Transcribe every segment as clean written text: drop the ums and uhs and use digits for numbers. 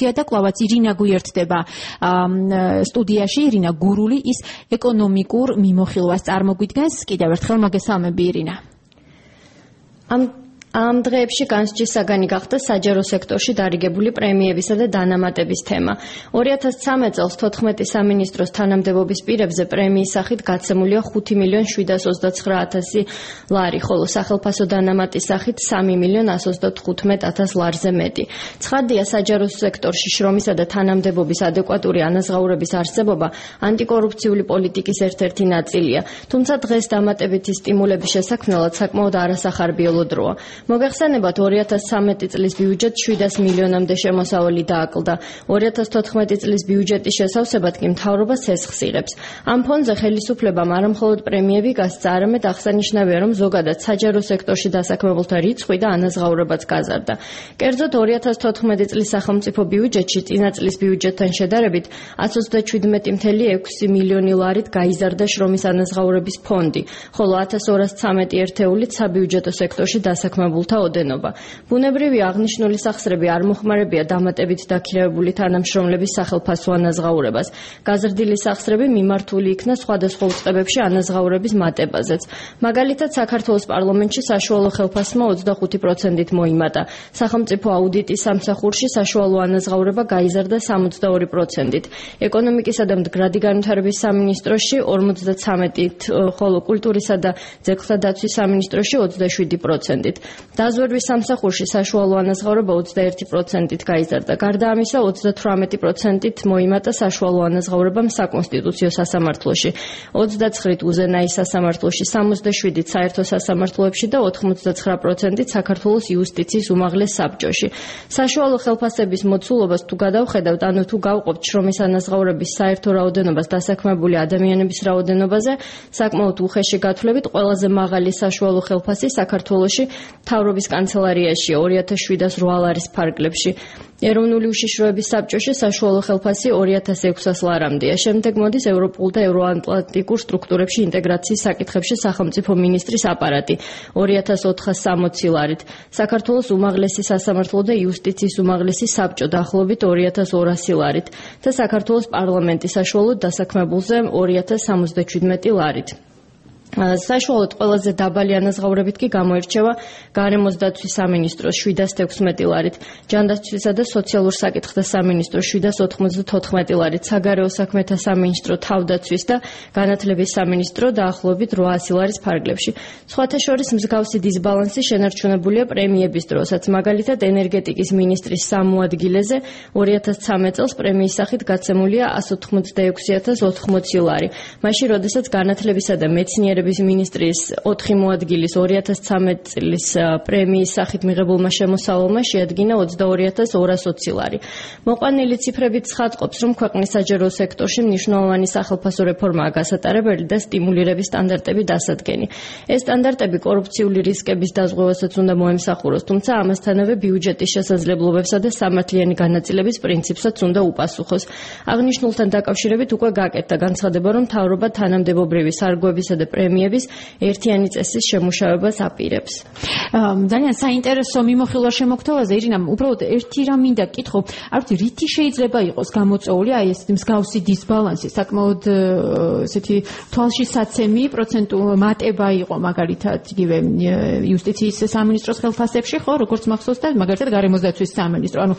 მოგვითია და კლავაც ირინა გვიერთდება სტუდიაში ირინა გურული ის ეკონომიკურ მიმოხილვას წარმოგვიდგენს კიდევ ერთხელ მოგესალმები ირინა ამ დღეებში განსჯის საგანი გახდა საჯარო სექტორში დარიგებული პრემიებისა და დანამატების თემა. 2013 წელს 14 სამინისტროს თანამდებობის პირებზე პრემიის სახით გაცემულია 5.729.000 ლარი, ხოლო სახელფასო დანამატის სახით 3.135.000 ლარზე მეტი. ცხადია, საჯარო სექტორში შრომისა და თანამდებობის ადეკვატური ანაზღაურების არსებობა ანტიკორუფციული პოლიტიკის ერთ-ერთი ნაწილია, თუმცა დღეს დამატებითი სტიმულების შესაქმნელად საკმაოდ არასახარბიელო დროა. მოგეხსენებათ 2013 წლის ბიუჯეტ 700 მილიონამდე შემოსავალი დააკლდა. 2014 წლის ბიუჯეტის შესავსებად კი მთავრობა სესხს იღებს. ამ ფონზე ხელისუფლებამ არამხოლოდ პრემიები გასცა, არამედ აღსანიშნავია, რომ ზოგადად საჯარო სექტორში დასაქმებულთა რიცხვი და ანაზღაურებაც გაზარდა. კერძოდ 2014 წლის სახელმწიფო ბიუჯეტში წინა წლის ბიუჯეტთან შედარებით 137.6 მილიონი ლარით გაიზარდა შრომის ანაზღაურების ფონდი, ხოლო 1213 ერთეულით საბიუჯეტო სექტორში დასაქმებულთა ოდენობა. ბუნებრივია, აღნიშნული სახსრები არ მოხმარებია დამატებით დაქირავებული თანამშრომლების სახელფასო ანაზღაურებას. გაზრდილი სახსრები მიმართული იქნა სხვადასხვა უწყებებში ანაზღაურების მატებაზეც. მაგალითად, საქართველოს პარლამენტში საშუალო ხელფასმა 25%-ით მოიმატა. სახელმწიფო აუდიტის სამსახურში საშუალო ანაზღაურება გაიზარდა 62%-ით. ეკონომიკისა და მდგრადი განვითარების სამინისტროში 53%-ით, ხოლო კულტურისა და ძეგლთა დაცვის სამინისტროში 27%-ით. დაზვერვის სამსახურში საშუალო ანაზღაურება 21%-ით გაიზარდა. გარდა ამისა, 38%-ით მოიმატა საშუალო ანაზღაურებამ საკონსტიტუციო სასამართლოში, 29-ით უზენაის სასამართლოში, 67-ით საერთო სასამართლოებში და 89%-ით საქართველოს იუსტიციის უმაღლეს საბჭოში. საშუალო ხელფასების მოცულობას თუ გადავხედავთ, ანუ თუ გავყოფთ შრომის ანაზღაურების საერთო რაოდენობას დასაქმებული ადამიანების რაოდენობაზე, საკმაოდ უხეში გათვლებით ყველაზე მაღალი საშუალო ხელფასი საქართველოში მთავრობის კანცელარიაში 2708 ლარის ფარგლებში. ეროვნული უშიშროების საბჭოში საშუალო ხელფასი 2600 ლარამდეა. შემდეგ მოდის ევროპულ და ევროატლანტიკურ სტრუქტურებში ინტეგრაციის საკითხებში სახელმწიფო მინისტრის აპარატი 2460 ლარით. საქართველოს უმაღლესი სასამართლო და იუსტიციის უმაღლესი საბჭო დაახლოებით 2200 ლარით და საქართველოს პარლამენტი საშუალოდ დასაქმებულზე 2077 ლარით. საშუალოდ ყველაზე დაბალი ანაზღაურებით კი გამოირჩევა გარემოს დაცვის სამინისტროს 716 ლარით, ჯანდაცვისა და სოციალურ საკითხთა სამინისტროს 794 ლარით, საგარეო საქმეთა სამინისტრო, თავდაცვის და განათლების სამინისტრო დაახლოებით 800 ლარის ფარგლებში. სხვათა შორის მსგავსი დისბალანსი შენარჩუნებულია პრემიების დროსაც. მაგალითად, ენერგეტიკის მინისტრის სამოადგილეზე 2013 წელს პრემიის სახით გაცემულია 186.080 ლარი. მაშინ, როდესაც განათლებისა და მეცნიერების მინისტრის 4 მოადგილის 2013 წლის პრემიის სახით მიღებულმა შემოსავალმა შეადგინა 22.220 ლარი. მოყვანილი ციფრებით ცხადყოფს, რომ ქვეყნის საჯარო სექტორში მნიშვნელოვანი სახელფასო რეფორმაა გასატარებელი და სტიმულირების სტანდარტები დასადგენი. ეს სტანდარტები კორუფციული რისკების დაზღვევასაც უნდა მოემსახუროს, თუმცა ამასთანავე ბიუჯეტის შესაძლებლობებსა და სამართლიანი განაწილების პრინციპსაც უნდა უპასუხოს. აღნიშნულთან დაკავშირებით უკვე გაკეთდა განცხადება, რომ მთავრობა თანამდებობრივი სარგოებისა და პრემიების ერთიანი წესის შემუშავებას აპირებს. ძალიან საინტერესო მიმოხილვა შემოგთავაზე, ირინა, უბრალოდ ერთი რამ მინდა გკითხო, არ ვიცი, რითი შეიძლება იყოს გამოწვეული აი ეს მსგავსი დისბალანსი, საკმაოდ ესეთი თვალშისაცემი მატება იყო მაგალითად იგივე იუსტიციის სამინისტროს ხელფასებში, ხო, როგორც მახსოვს და მაგალითად გარემოს დაცვის სამინისტრო, ანუ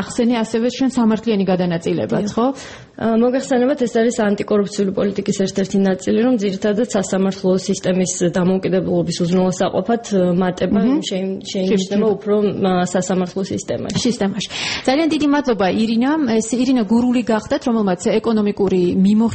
ახსენე ასევე შენ სამართლიანი გადანაწილებაც, ხო? მოგეხსენებათ, ეს არის ანტიკორუფციული პოლიტიკის ერთ-ერთი ნაწილი, რომ ძირითადად სასამართლო სისტემის დამოუკიდებლობის უზრუნველსაყოფად მატება შეინიშნება უფრო სასამართლო სისტემაში. ძალიან დიდი მადლობა ირინა. ეს ირინა გურული გახდათ, რომელმაც ეკონომიკური მიმოხილვა